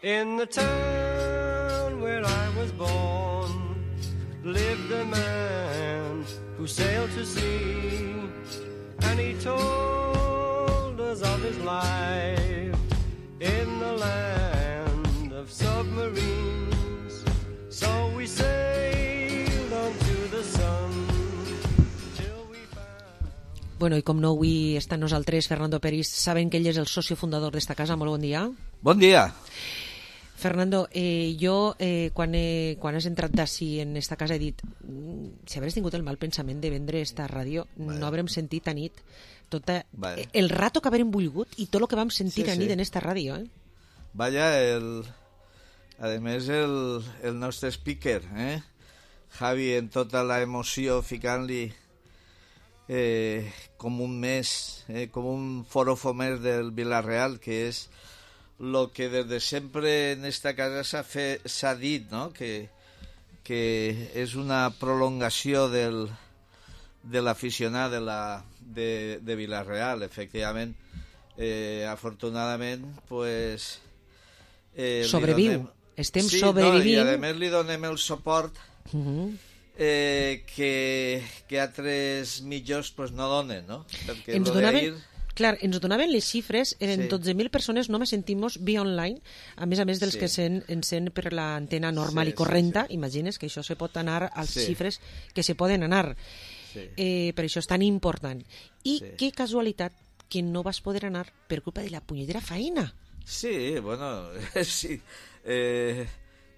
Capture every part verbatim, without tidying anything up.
In the town where I was born lived a man who sailed to sea, and he told us of his life in the land of submarines. So we sailed on to the sun till we found... Bueno, i com no avui està amb nosaltres Fernando Peris, saben que ell és el socio fundador d'esta casa. Molt bon dia. Bon dia. Fernando, eh, jo eh, quan, he, quan has entrat d'ací en esta casa he dit si hagués tingut el mal pensament de vendre esta ràdio, vale. No haurem sentit a nit tota, vale. el rato que haurem volgut i tot el que vam sentir sí, a nit sí. en esta ràdio. Eh? Vaya, el, a més el, el nostre speaker, eh? Javi, en tota la emoció ficant-li eh, com un mes, eh, com un forofo més del Villarreal, que és lo que desde siempre en esta casa s'ha dit, ¿no? que, que és una prolongació del, de l'aficionat de, la, de, de Villarreal, efectivament. Eh, afortunadament, pues... Eh, Sobreviu, donem... estem sí, sobrevivint. No, i a més li donem el suport uh-huh. eh, que, que altres mitjors pues, no donen, no? Perquè ens lo donaven... d'ahir... Clar, ens donaven les xifres, en sí. dotze mil persones només sentimos via online, a més a més dels sí. que sent, ens sent per l'antena normal sí, i correnta, sí, sí. Imagines que això se pot anar als sí. xifres que se poden anar. Sí. Eh, per això és tan important. I sí. que casualitat que no vas poder anar per culpa de la punyetera feina. Sí, bueno, sí. Eh,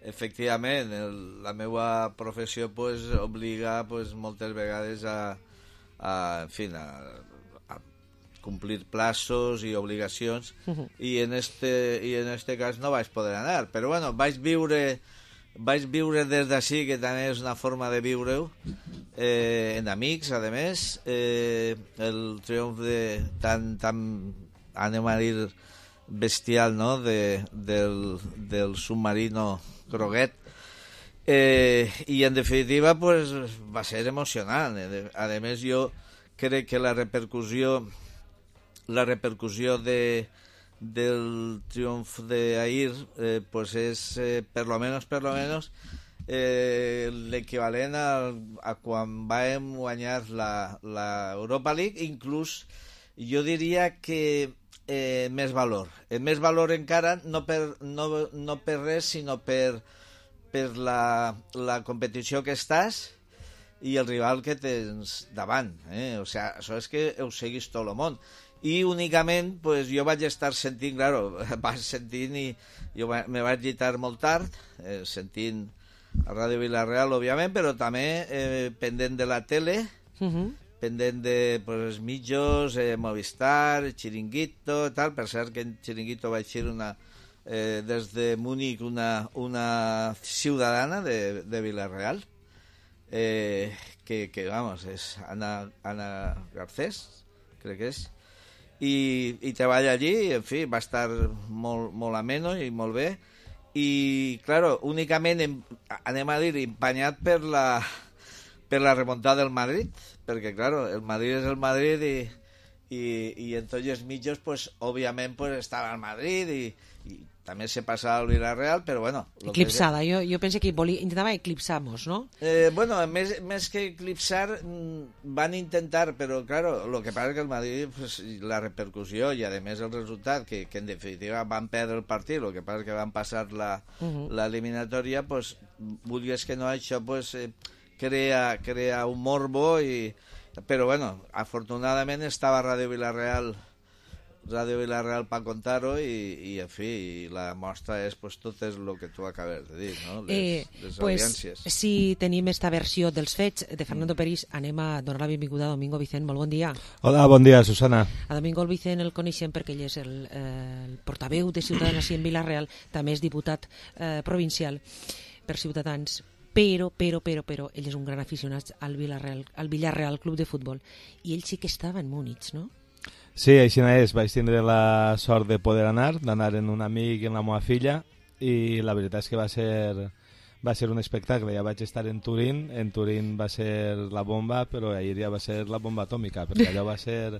efectivament, el, la meva professió pues, obliga pues, moltes vegades a, a en fi, a cumplir plazos i obligacions uh-huh. i en este i en este cas no vaig poder anar, però bueno, vaig viure vaig viure des d'ací, que també és una forma de viure-ho eh, en amics, a més eh, el triomf de tan, tan anem a dir bestial, no? de, del, del submarino Groguet, eh, i en definitiva pues, va ser emocionant. A més, jo crec que la repercussió la repercussió de, del triomf d'ahir eh, pues és eh, per lo menos, per lo menos eh, l'equivalent a, a quan vam guanyar la, la Europa League, inclús jo diria que eh, més valor. Eh, més valor encara no per, no, no per res, sinó per, per la, la competició que estàs i el rival que tens davant. Eh? O sigui, això és que ho seguís tot el món. I únicament pues, jo vaig estar sentint, claro, vaig sentint i jo me vaig llitar molt tard, eh, sentint a Ràdio Villarreal, òbviament, però també eh, pendent de la tele, uh-huh. pendent de pues, mitjos, eh, Movistar, Chiringuito, tal. Per cert que en Chiringuito vaig ser una, eh, des de Múnich una, una ciutadana de, de Villarreal, eh, que, que, vamos, és Ana, Ana Garcés, crec que és, i, i treballa allí, en fi, va estar molt, molt ameno i molt bé, i, claro, únicament, em, anem a dir, empanyat per la, per la remuntada del Madrid, perquè, claro, el Madrid és el Madrid i, i, i en tots els mitjos, pues, òbviament, pues, estava el Madrid i, i també se passava al Villarreal, però bueno... Eclipsada, que... jo, jo penso que volia, intentava eclipsar-nos, no? Eh, bueno, més, més que eclipsar, van intentar, però, claro, lo que passa és que el Madrid, pues, la repercussió i, a més, el resultat, que, que en definitiva van perdre el partit, lo que passa és que van passar la, uh-huh. l'eliminatòria, pues, vulguis que no, això, pues, eh, crea, crea un morbo, i... però, bueno, afortunadament estava Ràdio Villarreal Ràdio Villarreal per contar-ho i, i, en fi, i la mostra és pues, tot és el que tu acabes de dir, no? Les, eh, les pues, audiències. Si tenim esta versió dels fets de Fernando Peris, anem a donar la benvinguda a Domingo Vicent. Molt bon dia. Hola, bon dia, Susana. A Domingo Vicent el coneixem perquè ell és el, eh, el portaveu de Ciutadans en Villarreal, també és diputat eh, provincial per Ciutadans, però, però, però, però, ell és un gran aficionat al Villarreal, al Villarreal Club de Futbol, i ell sí que estava en Múnich, no? Sí, així és, vaig tindre la sort de poder anar, d'anar en un amic i en la meva filla, i la veritat és que va ser, va ser un espectacle. Ja vaig estar en Turín, en Turín va ser la bomba, però ahir ja va ser la bomba atòmica, perquè allò va ser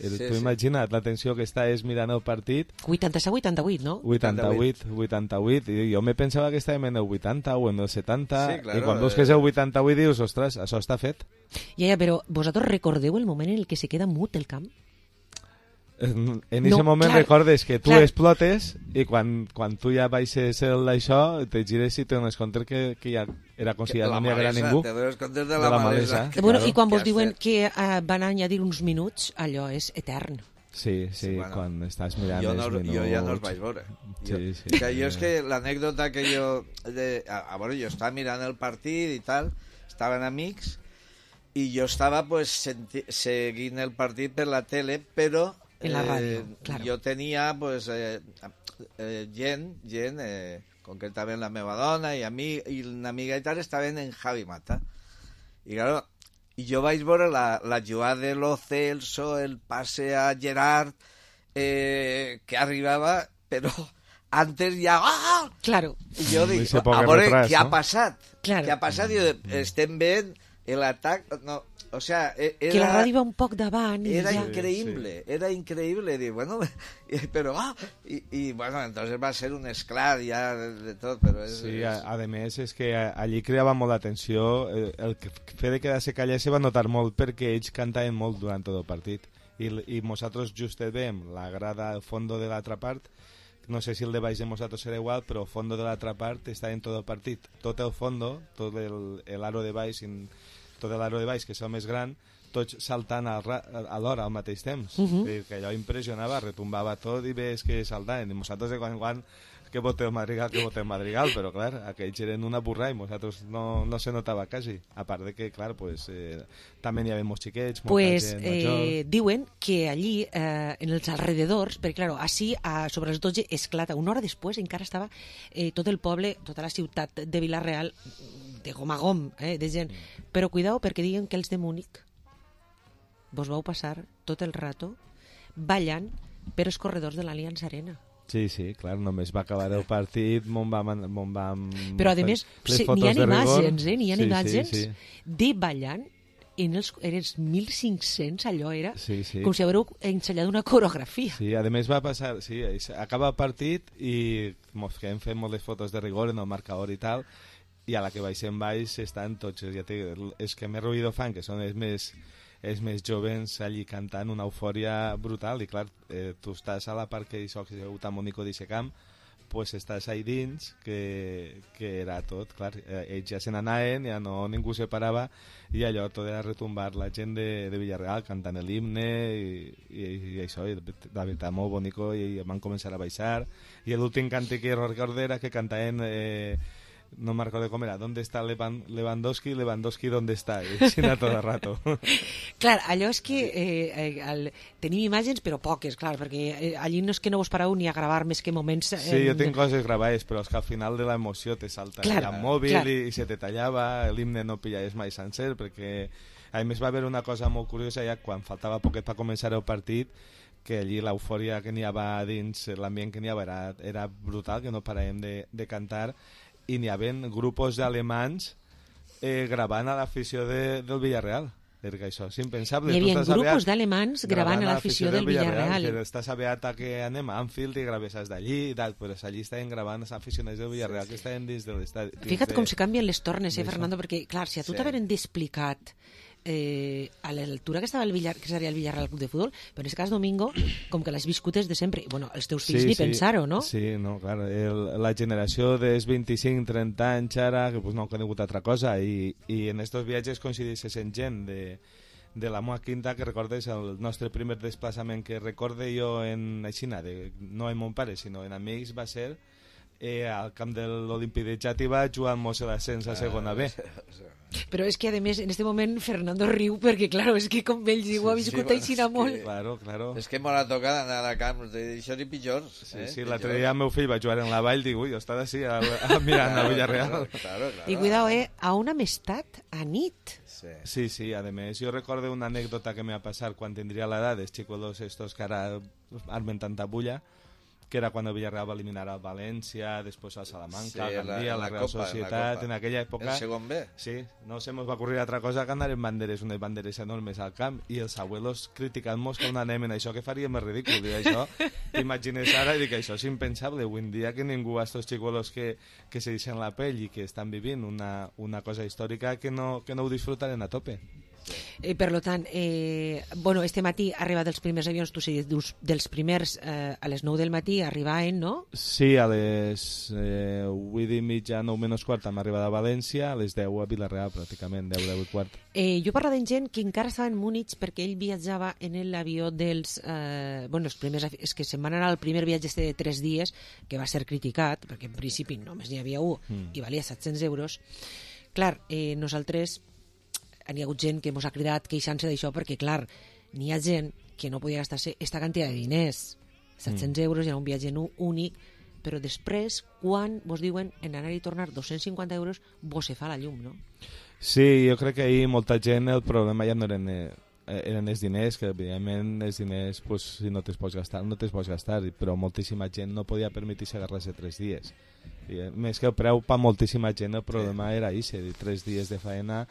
El, Sí, tu sí. imagina't la tensió que estàs mirant el partit, vuitanta-set vuitanta-vuit, no? vuitanta-vuit, vuitanta-vuit, i jo me pensava que estàvem en el vuitanta o en el setanta, Sí, claro, i quan veus que és el vuitanta-vuit dius, ostres, això està fet. Ja, ja, però vosaltres recordeu el moment en el que se queda mut el camp? En en No, aquest moment clar, recordes que tu clar. explotes i quan, quan tu ja baixes el d'això te gires i te dones compte que, que ja era com si ja no n'hi haguera ningú. Te dones compte de De la, la malesa. malesa. que- Bueno, claro, i quan que vos has diuen fet. que uh, van añadir uns minuts, allò és etern. Sí, sí, Sí, bueno. quan estàs mirant Jo, els no, minuts... jo ja no els vaig veure. Jo, Sí, sí. que jo és que l'anècdota que jo... De, a, a veure, jo estava mirant el partit i tal, estaven amics, i jo estava pues, senti, seguint el partit per la tele, però En la ràdio, claro. jo tenia pues, eh, eh, gent, gent eh, concretament la meva dona i, ami, i una amiga i tal, estaven en Javi Mata. I claro, i jo vaig veure la, la jugada de Lo Celso, el passe a Gerard, eh, que arribava, però antes ja... Ah! Claro, I jo dic, Ese a poc veure retras, què ha no? passat. Claro. Què ha passat? I estem veient l'atac... No, o sea, e- era... que la ràdio va un poc davant i Era ja... increíble, era increíble. Dic, bueno, pero ah, y, y bueno, entonces va a ser un esclar ya de, de tot, però és... Sí, és... a, a més és que a- allí creava molt d'atenció, el, el que fet de quedar-se callar se va notar molt perquè ells cantaven molt durant tot el partit i, l- i nosaltres just veiem la grada al fondo de l'altra part, no sé si el de baix de nosaltres serà igual, però el fondo de l'altra part està en tot el partit, tot el fondo, tot el, el aro de baix, in, tot l'aro de baix que és el més gran, tots saltant al ra- a l'hora al mateix temps. Uh -huh. I que allò impressionava, retumbava tot i ves que saltaven. I nosaltres de quan en quan que voteu Madrigal, que voteu Madrigal, però clar, aquells eren una burra i nosaltres no, no se notava quasi. A part de que, clar, pues, eh, també n'hi havia molts xiquets, molta Pues gent eh, major. diuen que allí, eh, en els alrededors, perquè claro, així a, sobre les dotze esclata, una hora després encara estava eh, tot el poble, tota la ciutat de Vila-real de gom a gom, eh, de gent. Però cuidao perquè diuen que els de Múnich vos vau passar tot el rato ballant per els corredors de l'Allianz Arena. Sí, sí, clar, només va acabar el partit, mon vam... Mon vam Però, a més, les sí, fotos n'hi ha de rigor. imatges, eh? N'hi ha Sí, imatges sí, sí. de ballant en els, en els mil cinc-cents, allò era Sí, sí. com si haguéreu ensenyat una coreografia. Sí, a més va passar, sí, acaba el partit i mos quedem fent moltes fotos de rigor en el marcador i tal, i a la que baixem baix estan tots, ja te, els que més ruïdo fan, que són els més, els més jovens allí cantant una eufòria brutal, i clar, eh, tu estàs a la part que hi soc tan bonico d'aquest camp, pues estàs ahí dins, que, que era tot, clar, eh, ells ja se n'anaven, ja no, ningú se parava, i allò tot era retumbar la gent de, de Villarreal cantant l'himne i, i, i això, i la veritat molt bonico, i van començar a baixar, i l'últim cante que recordo era que cantaven... Eh, no me recuerdo cómo era, ¿dónde está Levan, Lewandowski? Lewandowski, ¿dónde está? I així anar tot el rato. Clar, allò és que eh, eh, el, tenim imatges, però poques, clar, perquè eh, allí no és que no vos pareu ni a gravar més que moments... Eh, Sí, jo tinc coses gravades, però és que al final de l'emoció te salta Clar, el mòbil clar. i, i se te tallava, l'himne no pillaves mai sencer, perquè a més va haver una cosa molt curiosa ja quan faltava poquet per començar el partit, que allí l'eufòria que n'hi havia dins, l'ambient que n'hi havia era, era brutal, que no paràvem de, de cantar, i n'hi havia grupos d'alemans eh, gravant a l'afició de, del Villarreal, perquè això és impensable. Hi havia Tu estàs grupos aviat d'alemans gravant a l'afició del Villarreal. que estàs aviat a que anem a Anfield i gravesses d'allí i tal, però allí estaven gravant els aficionats del Villarreal que estaven dins de l'estadi. Fica't com se canvien les tornes, eh, d'això. Fernando, perquè, clar, si a tu Sí. t'haveren d'explicat eh, a l'altura que estava el Villar, que seria el Villarreal Club de Futbol, però en aquest cas, Domingo, com que l'has viscut des de sempre, bueno, els teus fills ni pensar-ho, no? Sí, no, clar, el, la generació dels vint-i-cinc trenta anys ara, que pues, no ha conegut altra cosa, i, i en estos viatges coincideixes en gent de, de la meva quinta que recordes el nostre primer desplaçament que recorde jo en Aixina, de, no en mon pare, sinó en amics, va ser eh, al camp de l'Olímpic de Xàtiva jugant-nos l'ascens a segona B. Però és que, a més, en este moment Fernando riu perquè, clar, és que com ells ho ha Sí, viscut sí, aixina és molt. que- Claro, claro. És que m'ha tocat anar a camps d'això i pitjors. Sí, eh? sí, l'altre dia el meu fill va jugar en la vall, dic, ui, jo estava així, a, a, mirant a Villarreal. Claro, claro, claro. I cuidao, eh, a una amistat a nit. Sí. Sí, sí, a més, jo recordo una anècdota que me va passar quan tindria l'edat dels xicolos estos que ara armen tanta bulla, que era quan el Villarreal va eliminar al València, després al Salamanca, Sí, al la- Gandia, la la Real Copa, Societat, la Copa. en aquella època... El segon B. Sí, no se mos va ocurrir altra cosa que anar en banderes, unes banderes enormes al camp, i els abuelos criticant-nos que on anem en això, que faríem és ridícul, i això, t'imagines ara, i dic, això és impensable, avui en dia que ningú, a estos xicolos que, que se deixen la pell i que estan vivint una, una cosa històrica, que no, que no ho disfrutaren a tope. Eh, per lo tant, eh, bueno, este matí ha arribat els primers avions, tu sí, dius, dels primers eh, a les nou del matí arribaven, no? Sí, a les eh, vuit i mitja, nou menys quart, hem arribat a València, a les deu a Vilareal, pràcticament, deu, deu i quart. Eh, jo parlava amb gent que encara estava en Múnich perquè ell viatjava en l'avió dels... Eh, bueno, els primers... És que se'n van anar al primer viatge este de tres dies, que va ser criticat, perquè en principi només n'hi havia un mm. i valia set-cents euros. Clar, eh, nosaltres... N'hi ha hagut gent que ens ha cridat queixant-se d'això perquè, clar, n'hi ha gent que no podia gastar-se aquesta quantitat de diners. set-cents mm. euros era un viatge únic, però després, quan vos diuen en anar i tornar dos-cents cinquanta euros, vos se fa la llum, no? Sí, jo crec que ahir molta gent, el problema ja no eren, eh, eren els diners, que evidentment els diners, pues, si no te'ls pots gastar, no te'ls pots gastar, però moltíssima gent no podia permetir-se agarrar-se tres dies. I, eh, més que el preu, per moltíssima gent, el problema era això, tres dies de faena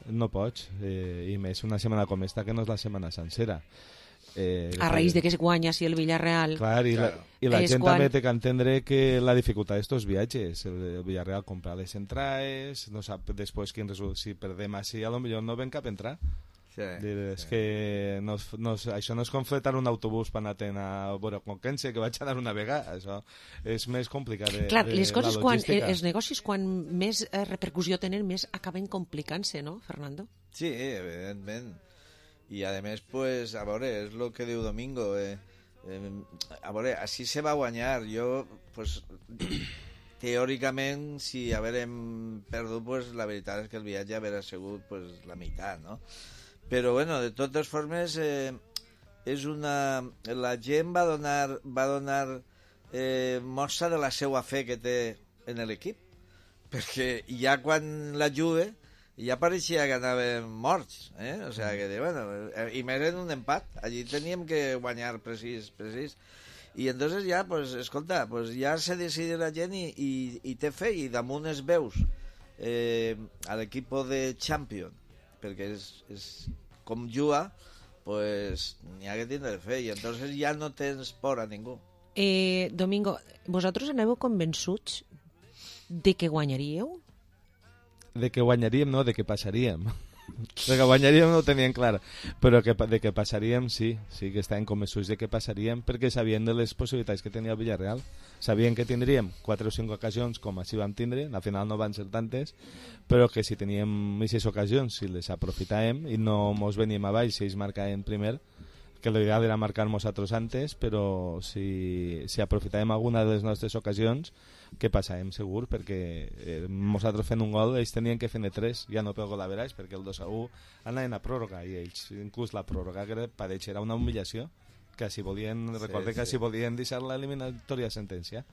no pots, eh, i més una setmana com esta que no és la setmana sencera. Eh, a raïs de que es guanya si el Villarreal... Clar, i la, i la gent quan... també té que entendre que la dificultat d'estos viatges, el Villarreal compra les entrades, no sap després quin resultat, si perdem així, a lo millor no ven cap entrar. Sí, Dir, és sí. que no, no, això no és com fletar un autobús per anar a veure Conquense, que vaig anar una vegada, això és més complicat de, Clar, de, les coses la quan, logística. els negocis quan més eh, repercussió tenen més acaben complicant-se, no, Fernando? Sí, evidentment. I a més, pues, a veure, és el que diu Domingo, eh, eh, a veure, així se va guanyar. Jo, pues, teòricament, si haguérem perdut, pues, la veritat és que el viatge hauria sigut pues, la meitat, no? Però, bueno, de totes formes, eh, és una... la gent va donar, va donar eh, mostra de la seva fe que té en l'equip, perquè ja quan la Juve ja pareixia que anàvem morts, eh? O sea, que, bueno, i més en un empat, allí teníem que guanyar precís, precís. I entonces ja, pues, escolta, pues ja se decide la gent i, i, i té fe, i damunt es veus eh, a l'equip de Champions, perquè és, és com juga, pues n'hi ha que tindre fe, i entonces ja no tens por a ningú. Eh, Domingo, vosaltres aneu convençuts de que guanyaríeu? De que guanyaríem, no, de que passaríem. De que guanyaríem no ho tenien clar, però que, de que passaríem sí, sí que estàvem convençuts de que passaríem perquè sabien de les possibilitats que tenia el Villarreal. Sabien que tindríem quatre o cinc ocasions com així vam tindre, al final no van ser tantes, però que si teníem aquestes ocasions, si les aprofitàvem i no mos veníem a baix si ells marcaven primer, que l'ideal era marcar nosaltres antes, però si, si aprofitàvem alguna de les nostres ocasions, que passàvem segur, perquè eh, nosaltres fent un gol, ells tenien que fer tres, ja no pel gol a veraix, perquè el dos a u anaven a pròrroga, i ells, inclús la pròrroga, que per ells era una humillació, que si volien, sí, recorde que sí. si volien deixar l'eliminatòria a sentència.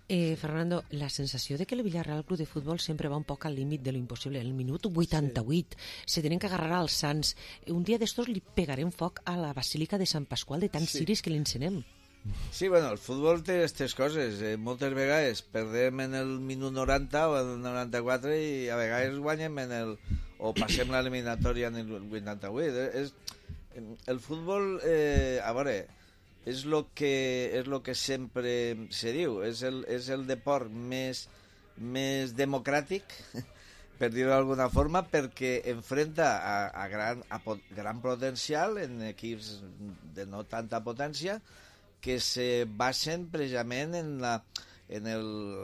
Eh, Fernando, la sensació de que el Villarreal Club de Futbol sempre va un poc al límit de lo impossible. En el minut vuitanta-vuit sí. se tenen que agarrar als Sants. Un dia d'estos li pegarem foc a la Basílica de Sant Pasqual de tants sí. ciris que l'encenem. Sí, bueno, el futbol té aquestes coses. Eh, moltes vegades perdem en el minut noranta o en el noranta-quatre i a vegades guanyem en el... o passem l'eliminatòria en el vuitanta-vuit. Eh, és... El futbol, eh, a veure... és el que, és lo que sempre se diu, és el, és el deport més, més democràtic, per dir-ho d'alguna forma, perquè enfrenta a, a, gran, a pot, gran potencial en equips de no tanta potència que se basen precisament en la en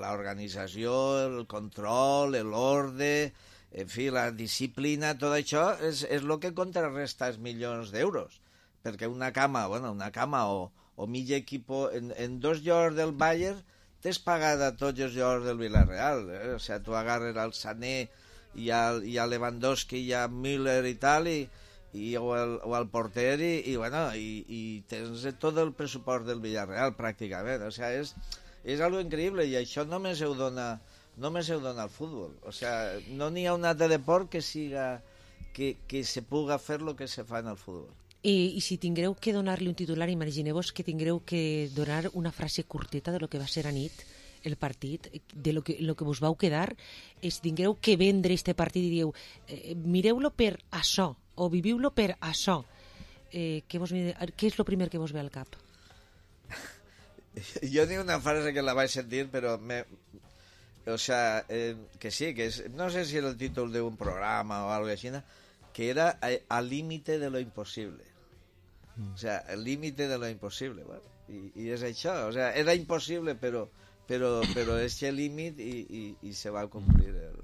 l'organització, el control, l'ordre, en fi, la disciplina, tot això és, és el que contrarresta els milions d'euros. Perquè una cama, bueno, una cama o, o mig equip en, en dos jugadors del Bayern t'has pagat a tots els jugadors del Villarreal, eh? O sigui, tu agarres al Sané i al, i a Lewandowski i a Müller i tal, i, i, o, el, o al porter, i, i, bueno, i, i tens tot el pressupost del Villarreal pràcticament. O sigui, és, és algo increïble, i això només ho dona, només ho dona el futbol. O sigui, no n'hi ha un altre deport que siga que, que se puga fer lo que se fa en el futbol. I, i si tingueu que donar-li un titular, imagineu-vos que tingueu que donar una frase curteta de lo que va ser a nit el partit, de lo que, lo que vos vau quedar, i si tingueu que vendre este partit i dieu, eh, mireu-lo per això, o viviu-lo per això, eh, què, vos, què és el primer que vos ve al cap? Jo ni una frase que la vaig sentir, però me... o sea, eh, que sí, que és, no sé si era el títol d'un programa o algo així, que era al límite de lo imposible. O sea, el límite de lo imposible. Bueno, i, i és això, o sea, era impossible, però però, però és el límit i, i, i se va complir el...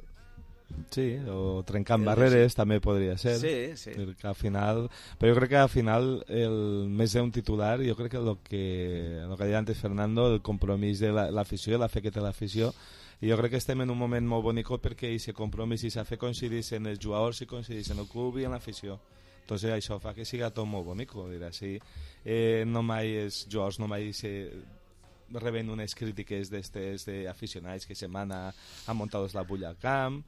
Sí, o trencant el barreres sí. També podria ser. Sí, sí. Perquè al final... Però jo crec que al final, el més d'un titular, jo crec que el que, el que deia antes Fernando, el compromís de l'afició, la, la fe que té l'afició, i jo crec que estem en un moment molt bonic perquè aquest compromís i aquesta fe coincideixen els jugadors i coincideixen el club i en l'afició. Entonces això fa que siga tot molt bonic, dir així. Eh, no mai els jugadors no mai se reben unes crítiques d'estes d'aficionats que se mana a muntar la bulla al camp.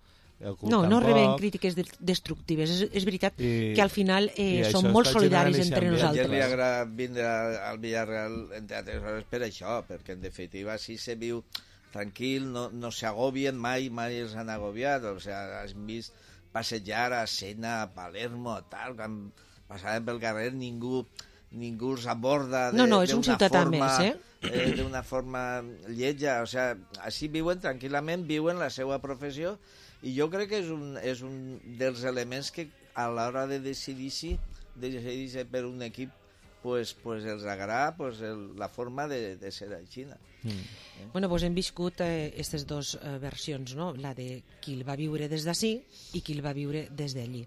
No, no reben crítiques destructives. És, és veritat I, que al final eh, som molt solidaris entre nosaltres. A li agrada vindre al Villarreal entre altres hores per això, perquè en definitiva si se viu tranquil, no, no s'agobien mai, mai els han agobiat, o sigui, has vist passejar a Sena, a Palermo, tal, quan passaven pel carrer ningú ningú s'aborda no, no, és un ciutadà més, eh? eh d'una forma lletja, o sigui, així viuen tranquil·lament, viuen la seva professió, i jo crec que és un, és un dels elements que a l'hora de decidir-se de decidir per un equip pues, pues els agrada pues, el, la forma de, de ser així. Mm. Eh? Bueno, pues hem viscut aquestes eh, dues eh, versions, no? La de qui el va viure des d'ací i qui el va viure des d'allí.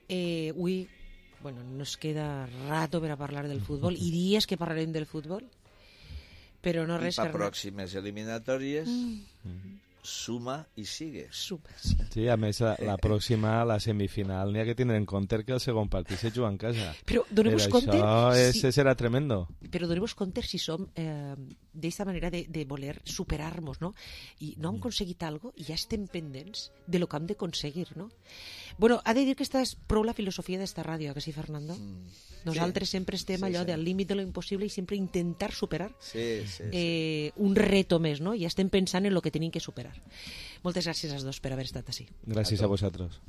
Eh, avui, bueno, nos queda rato per a parlar del futbol i dies que parlarem del futbol, però no res... I per pròximes eliminatòries... Mm. Suma i sigue. Suma, sí. Sí, a més, la, la pròxima, la semifinal, n'hi ha que tindre en compte que el segon partit se juga en casa. Però doneu-vos compte... Això és, si... serà tremendo. Però doneu-vos compte si som eh, d'aquesta manera de, de voler superar-nos, no? I no hem aconseguit alguna cosa i ja estem pendents de lo que hem d'aconseguir, no? Bueno, ha de dir que aquesta és prou la filosofia d'esta ràdio, que sí, Fernando? Mm. Nosaltres sí. sempre estem sí, allò sí. del límit de lo impossible i sempre intentar superar sí, sí, eh, sí. un reto més, no? I ja estem pensant en lo que tenim que superar. Moltes gràcies als dos per haver estat així. Gràcies a, a vosaltres.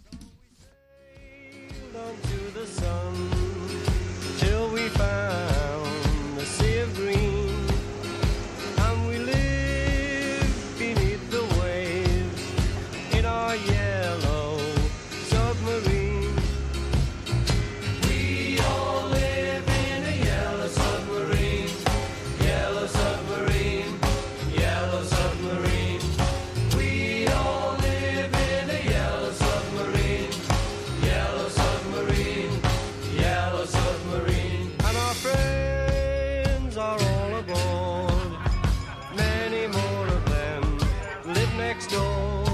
Next door